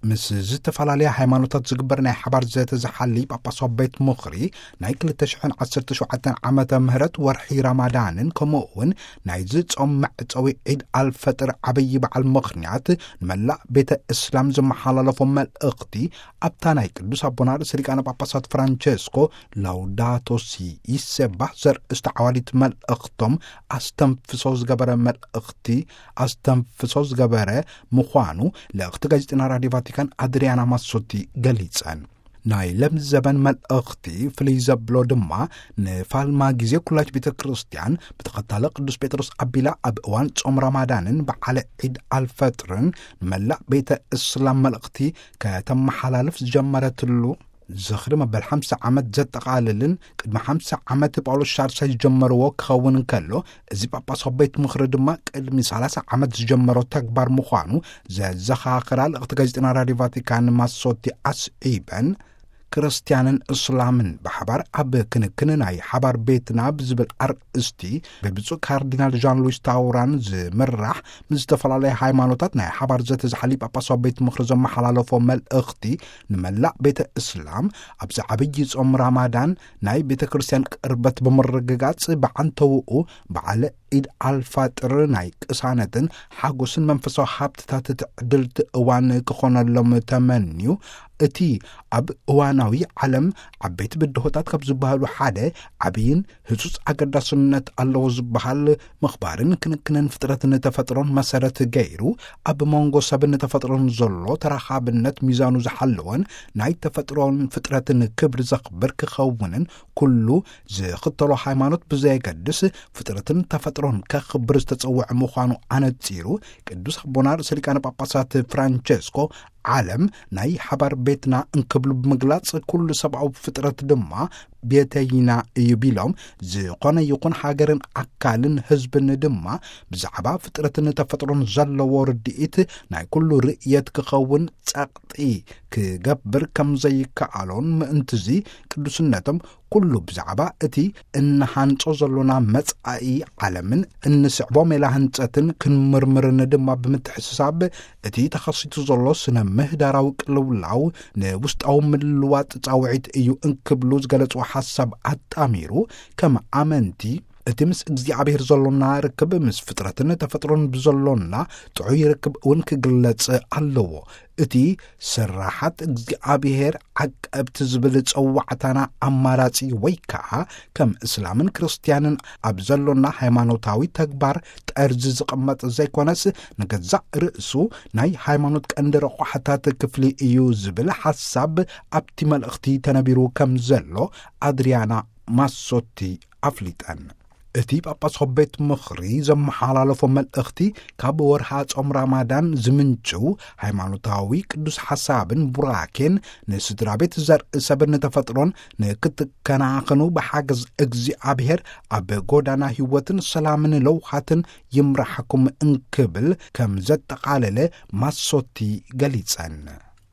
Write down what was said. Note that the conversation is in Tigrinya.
ምስ ዝተፈላለያ ሃይማኖታት ዝግበር ናይ ሓባር ዘተ ዝሓሊ ጳጳሳዊ ቤት ምኽሪ፣ ናይ ክልተ ሽሕን ዓሰርተ ሸውዓተን ዓመተ ምህረት ወርሒ ረማዳንን ከምኡ እውን ናይዚ ጾም መዕጸዊ ዒድ ኣልፈጥር ዓብዪ በዓል ምኽንያት፣ ንመላእ ቤተ እስላም ዘመሓላለፎ መልእኽቲ ኣብታ ናይ ቅዱስ ኣቦና ርእሰ ሊቃነ ጳጳሳት ፍራንቸስኮ ላውዳቶ ሲ ይሴባህ ዘርእስቲ ዓዋዲት መልእኽቶም ኣስተንፍሶ ዝገበረ መልእኽቲ ኣስተንፍሶ ዝገበረ ምዃኑ ልእኽቲ ጋዜጠና ራድዮ ቫቲካን ኣድሪያና ማሶቲ ገሊጸን። ናይ ለምዘበን መልእኽቲ ፍልይ ዘብሎ ድማ፣ ንፋልማ ግዜ ኩላች ቤተ ክርስቲያን ብተኸታለ ቅዱስ ጴጥሮስ ኣቢላ ኣብ እዋን ጾም ረማዳንን በዓለ ዒድ ኣልፈጥርን ንመላእ ቤተ እስላም መልእኽቲ ከተመሓላልፍ ዝጀመረትሉ ዝኽሪ መበል ሓምሳ ዓመት ዘጠቓልልን፣ ቅድሚ ሓምሳ ዓመት ጳውሎስ ሻርሳይ ዝጀመርዎ ክኸውን እንከሎ፣ እዚ ጳጳሳዊ ቤት ምኽሪ ድማ ቅድሚ ሰላሳ ዓመት ዝጀመሮ ተግባር ምዃኑ ዘዘኻኽራ ልእኽቲ ጋዜጠና ራድዮ ቫቲካን ማሶቲ ኣስዒበን፣ ክርስትያንን እስላምን ብሓባር ኣብ ክንክን ናይ ሓባር ቤትና ብዝብል ኣርእስቲ ብብፁዕ ካርዲናል ዣን ሉዊስ ታውራን ዝምራሕ ምስ ዝተፈላለያ ሃይማኖታት ናይ ሓባር ዘተ ዝሓሊ ጳጳሳዊ ቤት ምኽሪ ዘመሓላለፎ መልእኽቲ፣ ንመላእ ቤተ እስላም ኣብዚ ዓብዪ ጾም ራማዳን ናይ ቤተ ክርስቲያን ቅርበት ብምርግጋጽ፣ ብዓንተውኡ በዓለ ዒድ ኣልፋጥር ናይ ቅሳነትን ሓጎስን መንፈሳዊ ሃብትታት ትዕድልቲ እዋን ክኾነሎም ተመንዩ፣ እቲ ኣብ እዋናዊ ዓለም ዓበይቲ ብድሆታት ካብ ዝበሃሉ ሓደ ዓብይን ህጹጽ ኣገዳስነት ኣለዎ ዝበሃል ምኽባርን ክንክንን ፍጥረትን ተፈጥሮን መሰረት ገይሩ፣ ኣብ መንጎ ሰብን ተፈጥሮን ዘሎ ተራኻብነት ሚዛኑ ዝሓለወን ናይ ተፈጥሮን ፍጥረትን ክብሪ ዘኽብር ክኸውንን፣ ኩሉ ዝኽተሎ ሃይማኖት ብዘየገድስ ፍጥረትን ተፈጥሮን ከኽብር ዝተጸውዐ ምዃኑ ኣነጺሩ፣ ቅዱስ ኣቦና ርእሰ ሊቃነ ጳጳሳት ፍራንቸስኮ፣ ዓለም ናይ ሓባር ቤትና እንክብሉ ብምግላጽ፣ ኩሉ ሰብኣዊ ፍጥረት ድማ ቤተይና እዩ ቢሎም፣ ዝኾነ ይኹን ሃገርን ኣካልን ህዝብን ድማ ብዛዕባ ፍጥረትን ተፈጥሮን ዘለዎ ርድኢት ናይ ኩሉ ርእየት ክኸውን ጸቕጢ ክገብር ከም ዘይከኣሎን፣ ምእንትዚ ቅዱስነቶም ኩሉ ብዛዕባ እቲ እንሃንጾ ዘሎና መጻኢ ዓለምን እንስዕቦ ሜላ ህንጸትን ክንምርምርን ድማ ብምትሕስሳብ፣ እቲ ተኸሲቱ ዘሎ ስነ ምህዳራዊ ቅልውላው ንውስጣዊ ምልዋጥ ጻውዒት እዩ እንክብሉ ዝገለጽዎ ሓሳብ ኣጣሚሩ፣ ከም ኣመንቲ እቲ ምስ እግዚኣብሔር ዘሎና ርክብ ምስ ፍጥረትን ተፈጥሮን ብዘሎና ጥዑይ ርክብ እውን ክግለጽ ኣለዎ። እቲ ስራሓት እግዚኣብሔር ዓቀብቲ ዝብል ጸዋዕታና ኣማራጺ ወይ ከኣ ከም እስላምን ክርስትያንን ኣብ ዘሎና ሃይማኖታዊ ተግባር ጠርዚ ዝቕመጥ ዘይኮነስ፣ ንገዛእ ርእሱ ናይ ሃይማኖት ቀንዲ ረቋሕታት ክፍሊ እዩ ዝብል ሓሳብ ኣብቲ መልእኽቲ ተነቢሩ ከም ዘሎ ኣድሪያና ማሶቲ ኣፍሊጠን። እቲ ጳጳሳዊ ቤት ምኽሪ ዘመሓላለፎ መልእኽቲ፣ ካብ ወርሃ ጾም ራማዳን ዝምንጭው ሃይማኖታዊ ቅዱስ ሓሳብን ቡራኬን ንስድራ ቤት፣ ዘርኢ ሰብን ተፈጥሮን ንክትከናኸኑ ብሓገዝ እግዚኣብሔር ኣብ ጎዳና ህይወትን ሰላምን ለውሃትን ይምራሕኩም እንክብል ከም ዘጠቓለለ ማሶቲ ገሊጸን።